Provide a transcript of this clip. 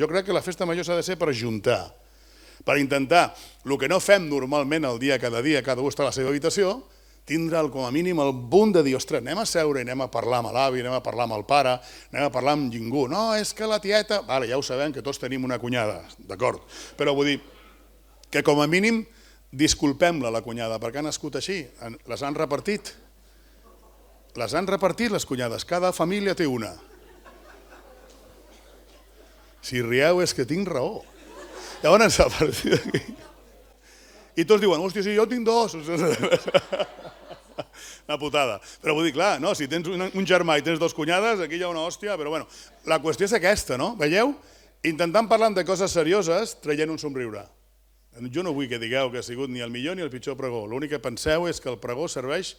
Jo crec que la festa major s'ha de ser per ajuntar, per intentar, el que no fem normalment el dia, cada u està a la seva habitació, tindre com a mínim el punt de dir, ostres, anem a seure i anem a parlar amb l'avi, anem a parlar amb el pare, anem a parlar amb ningú. No, és que la tieta... Vale, ja ho sabem, que tots tenim una cunyada, d'acord. Però vull dir que com a mínim disculpem-la, la cunyada, perquè ha nascut així, les han repartit. Les han repartit, les cunyades, cada família té una. Si rieu és que tinc raó. Llavors, a partir d'aquí... I tots diuen, hòstia, sí, jo tinc dos. Una putada. Però vull dir, clar, no, si tens un germà i tens dos cunyades, aquí hi ha una hòstia, però bueno, la qüestió és aquesta, no? Veieu? Intentant parlar de coses serioses, traient un somriure. Jo no vull que digueu que ha sigut ni el millor ni el pitjor pregó. L'únic que penseu és que el pregó serveix